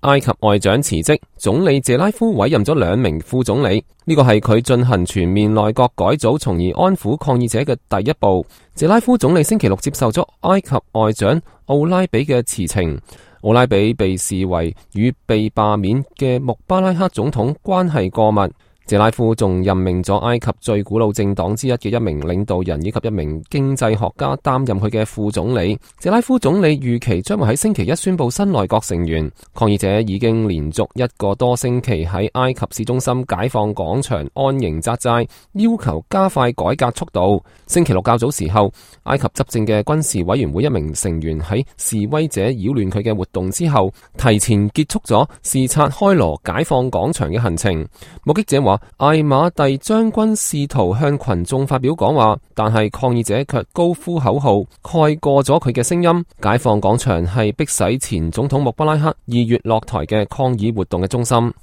埃及外長辭職，總理謝拉夫委任咗2名副總理，呢個係佢進行全面內閣改組，從而安撫抗議者嘅第一步。謝拉夫總理星期六接受咗埃及外長奧拉比嘅辭呈。奧拉比被視為與被罷免嘅穆巴拉克總統關係過密。謝拉夫仲任命咗埃及最古老政黨之一嘅1名領導人以及1名經濟學家擔任佢嘅副總理。謝拉夫總理預期將會喺星期一宣布新內閣成員。抗議者已經連續1個多星期喺埃及市中心解放廣場安營紮寨，要求加快改革速度。星期六較早時候，埃及執政嘅軍事委員會1名成員喺示威者擾亂佢嘅活動之後，提前結束咗視察開羅解放廣場嘅行程。目擊者話，艾馬蒂將軍試圖向群眾發表講話，但係抗議者卻高呼口號，蓋過咗佢嘅聲音。解放廣場係迫使前總統穆巴拉克2月落台嘅抗議活動嘅中心。